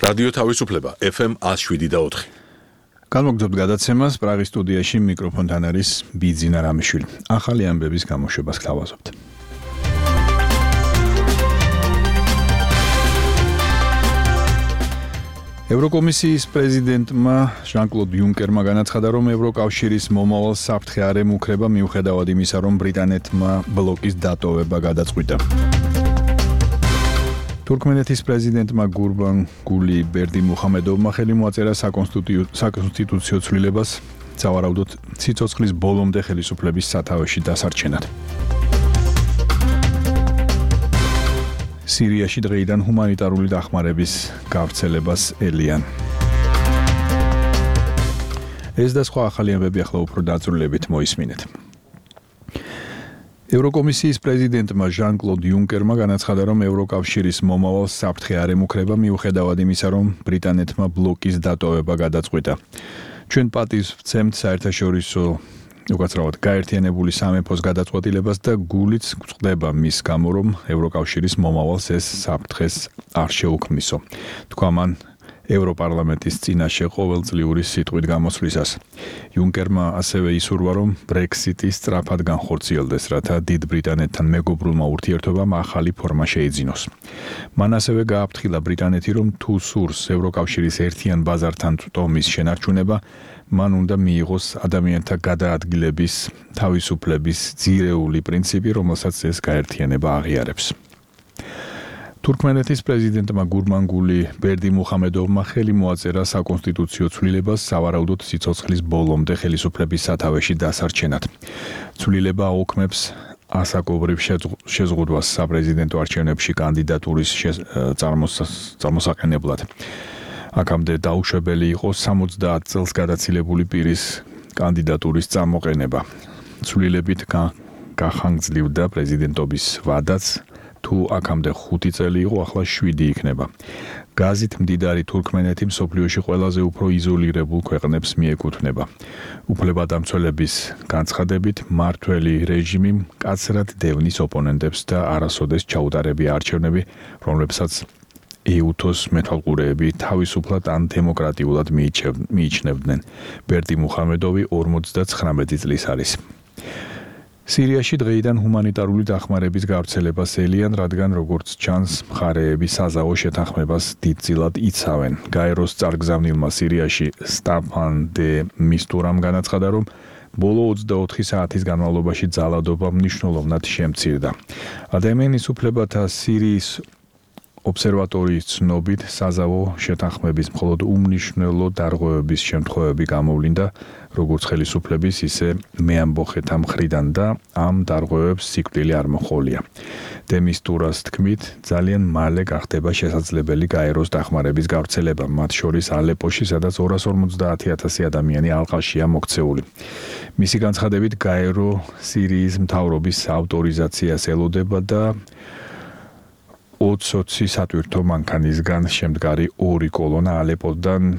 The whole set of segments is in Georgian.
რადიო თავისუფლება FM 107.4. განმოგრძობთ გადაცემას პრაღის სტუდიაში მიკროფონთან არის ბიძინა რამიშვილი. ახალი ამბების გამოშვებას გთავაზობთ. ევროკომისიის პრეზიდენტმა ჟან-კლოდ იუნკერმა განაცხადა, რომ ევროკავშირის მომავალ საფრთხე არ ემუქრება მიუხედავად იმისა, რომ ბრიტანეთმა ბლოკის დატოვება გადაწყვიტა. თურქმენეთის პრეზიდენტმა გურბანგული ბერდიმუხამედოვმა ხელი მოაწერა საკონსტიტუციო ცვლილებას, სავარაუდოდ სიცოცხლის ბოლომდე ხელისუფლების სათავეში დასარჩენად. სირიაში დღეიდან ჰუმანიტარული დახმარების გავრცელებას ელიან. ეს და სხვა ახალი ამბები ახლა უფრო დაწვრილებით მოისმინეთ. ევროკომისიის პრეზიდენტმა ჟან-კლოდ იუნკერმა განაცხადა, რომ ევროკავშირის მომავალ საფრთხე არ ემუქრება მიუხედავად იმისა, რომ ბრიტანეთმა ბლოკის დატოვება გადაწყვიტა. ჩვენ პატივს ვცემთ საერთაშორისო უკაცრავად გაერთიანებული სამეფოს გადაწყვეტილებას და გულიც გვწყდება მის გამო, რომ ევროკავშირის მომავალს ეს საფრთხეს არ შეუქმნისო. თქვა მან ევროპარლამენტის წინაშე ყოველწლიური სიტყვით გამოსვლისას. იუნკერმა ასევე ისურვა, რომ ბრექსიტი სწრაფად განხორციელდეს, რათა დიდ ბრიტანეთთან მეგობრულმა ურთიერთობამ ახალი ფორმა შეიძინოს. მან ასევე გააფრთხილა ბრიტანეთი, რომ თუ სურს ევროკავშირის ერთიან ბაზართან წვდომის შენარჩუნება, მან უნდა მიიღოს ადამიანთა გადაადგილების თავისუფლების ძირეული პრინციპი, რომელსაც ეს გაერთიანება აღიარებს. თურქმენეთის პრეზიდენტმა გურბანგული ბერდიმუხამედოვმა ხელი მოაწერა საკონსტიტუციო ცვლილებას, სავარაუდოდ სიცოცხლის ბოლომდე ხელისუფლების სათავეში დასარჩენად. ცვლილება აუქმებს ასაკობრივ შეზღუდვას საპრეზიდენტო არჩევნებში კანდიდატურის წარმოსაყენებლად. აქამდე დაუშვებელი იყო 70 წელს გადაცილებული პირის კანდიდატურის წამოყენება. ცვლილებით გახანგრძლივდა პრეზიდენტობის ვადაც, თუ აქამდე 5 წელი იყო, ახლა 7 იქნება. გაზით მდიდარი თურქმენეთი მსოფლიოში ყველაზე უფრო იზოლირებულ ქვეყნებს მიეკუთვნება. უფლებადამცველების განცხადებით, მმართველი რეჟიმი მკაცრად დევნის ოპონენტებს და არასოდეს ჩაუტარებია არჩევნები, რომლებსაც ეუთოს მეთვალყურეები თავისუფლად ან დემოკრატიულად მიიჩნევდნენ. ბერდიმუხამედოვი 59 წლის არის. სირიაში დღეიდან ჰუმანიტარული დახმარების გავრცელებას ელიან, რადგან როგორც ჩანს, მხარეები საზავო შეთანხმებას დიდწილად იცავენ. გაეროს წარგზავნილმა სირიაში სტაფან დე მისტურამ განაცხადა, რომ ბოლო 24 საათის განმავლობაში ძალადობა მნიშვნელოვნად შემცირდა. ადამიანის უფლებათა სირიის ობსერვატორიის ცნობით, საზავო შეთანხმების მხოლოდ უმნიშვნელო დარღვევების შემთხვევები გამოვლინდა, როგორც ხელისუფლების, ისე მეამბოხეთა მხრიდან და ამ დარღვევებს სიკვდილი არ მოჰყოლია. დემისტურას თქმით, ძალიან მალე გახდება შესაძლებელი გაეროს დახმარების გავრცელება, მათ შორის ალეპოში, სადაც 250,000 ადამიანი ალყაშია მოქცეული. მისი განცხადებით, გაერო სირიის მთავრობის ავტორიზაციას ელოდება და 20 სატვირთო მანქანისგან შემდგარი 2 კოლონა ალეპოდან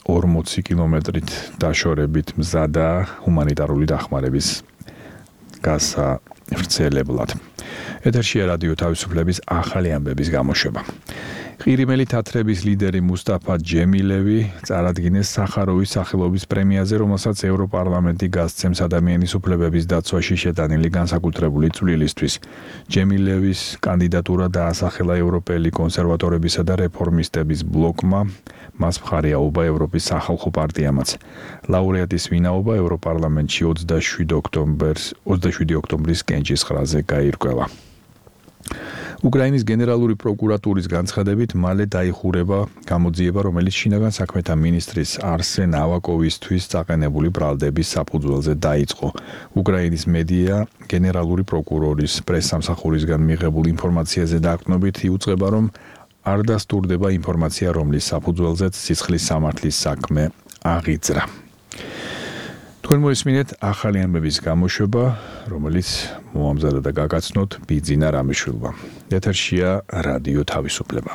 40 კილომეტრით დაშორებით მზადა ჰუმანიტარული დახმარების გასავრცელებლად. ეთერშია რადიო თავისუფლების ახალი ამბების გამოშვება. ყირიმელი თათრების ლიდერი მუსტაფა ჯემილევი წარადგინეს სახაროვის სახელობის პრემიაზე, რომელსაც ევროპარლამენტი გასცემს ადამიანის უფლებების დაცვაში შეტანილი განსაკუთრებული წვლილისთვის. ჯემილევის კანდიდატურა დაასახელა ევროპელი კონსერვატორებისა და რეფორმისტების ბლოკმა, მას მხარი აუღა ევროპის სახალხო პარტიამაც. ლაურეატის ვინაობა ევროპარლამენტში 27 ოქტომბრის კენჭისყრაზე გაირკვევა. უკრაინის გენერალური პროკურატურის განცხადებით, მალე დაიხურება გამოძიება, რომელიც შინაგან საქმეთა მინისტრის არსენ ავაკოვისთვის წაყენებული ბრალდების საფუძველზე დაიწყო. უკრაინის მედია გენერალური პროკურორის პრესსამსახურისგან მიღებულ ინფორმაციაზე დაყრდნობით იუწყება, რომ არ დასტურდება ინფორმაცია, რომლის საფუძველზეც სიცხლის სამართლის საქმე აღიძრა. თქვენ მოისმინეთ ახალი ამბების გამოშვება, რომელიც მოამზადა და გაგაცნოთ ბიძინა რამიშვილმა. ეთერშია რადიო თავისუფლება.